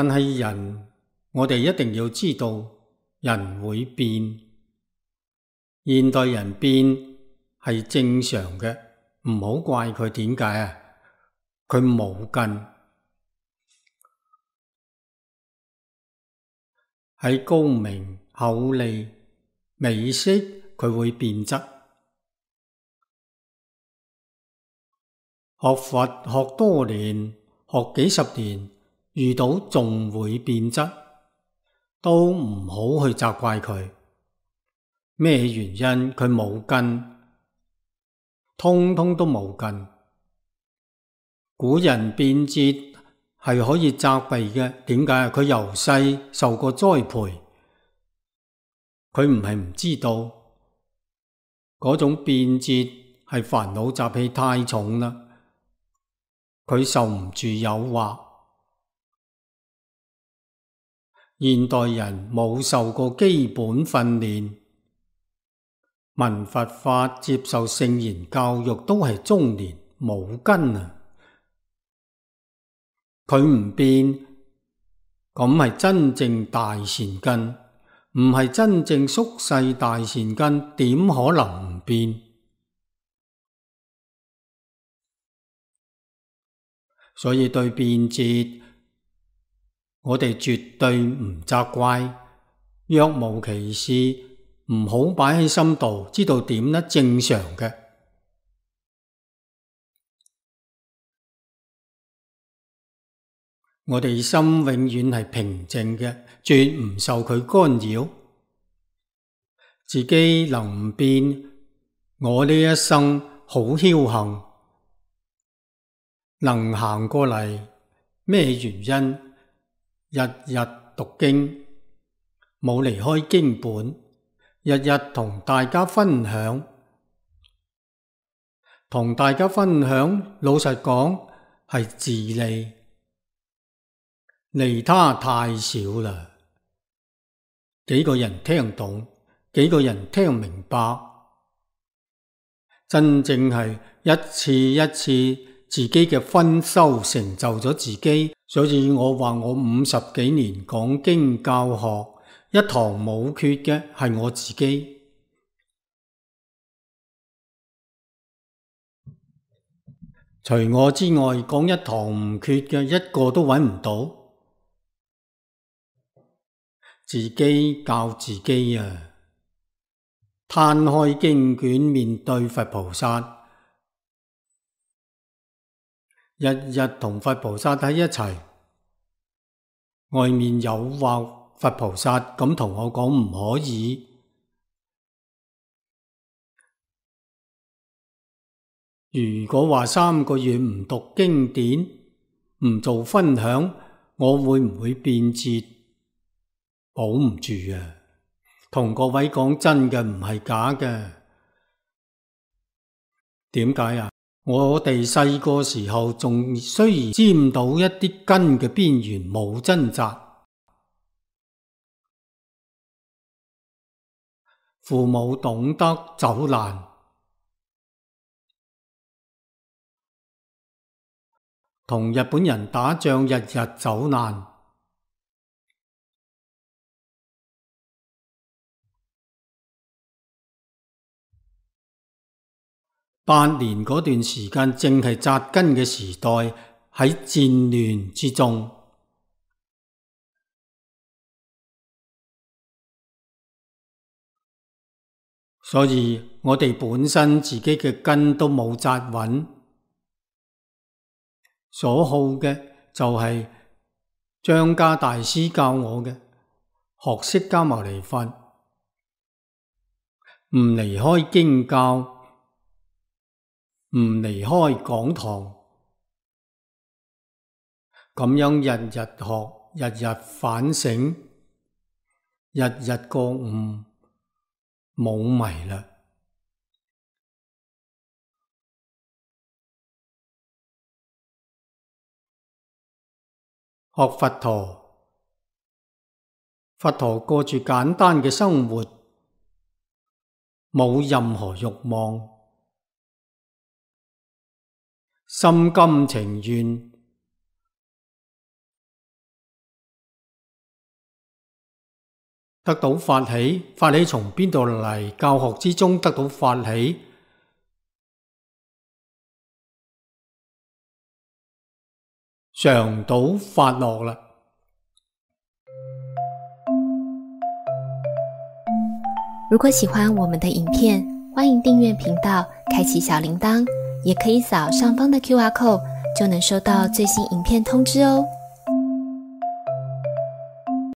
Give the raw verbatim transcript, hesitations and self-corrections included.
但係人，我哋一定要知道，人會變。現代人變係正常嘅，唔好怪佢。點解啊？佢冇根。喺高明、厚利、美色，佢會變質。學佛學多年，學幾十年，遇到仲會變質，都唔好去責怪佢。咩原因？佢冇根，通通都冇根。古人變節係可以責備嘅。點解？佢由細受過栽培，佢唔係唔知道嗰種變節係煩惱習氣太重啦，佢受唔住誘惑。現代人冇受過基本訓練，聞佛法、接受聖言教育都係中年，冇根啊！佢唔變，咁係真正大善根，唔係真正宿世大善根，點可能唔變？所以對變節，我哋絕對唔責怪，若無其事，唔好擺喺心度，知道點呢？正常嘅。我哋心永遠係平靜嘅，絕唔受佢干擾。自己能唔變，我呢一生好僥幸，能行過嚟。咩原因？日日讀經，冇離開經本，日日同大家分享，同大家分享，老實講係自利。利他太少啦，幾個人聽懂，幾個人聽明白，真正係一次一次自己嘅分修成就咗自己。所以我話我五十幾年講經教學，一堂冇缺嘅係我自己。除我之外，講一堂唔缺嘅一個都揾唔到。自己教自己啊！攤開經卷面對佛菩薩，日日同佛菩薩喺一齊，外面誘惑佛菩薩咁同我講唔可以。如果話三個月唔讀經典，唔做分享，我會唔會變節？保唔住啊！同各位講真嘅，唔係假嘅。點解啊？我哋細個時候仲雖然沾到一啲根嘅邊緣，冇掙扎。父母懂得走難，同日本人打仗日日走難。八年嗰段時間正係扎根嘅時代，喺戰亂之中，所以我哋本身自己嘅根都冇扎穩，所好嘅就係張家大師教我嘅，學釋迦牟尼佛，唔離開經教，唔離開講堂，咁樣日日學，日日反省，日日覺悟，冇迷啦。學佛陀，佛陀過住簡單嘅生活，冇任何慾望，心甘情願，得到發喜，發喜從邊度嚟？教學之中得到發喜，嘗到發樂啦。如果喜歡我們的影片，歡迎訂閱頻道，開啟小鈴鐺，也可以掃上方的 Q R code，就能收到最新影片通知哦。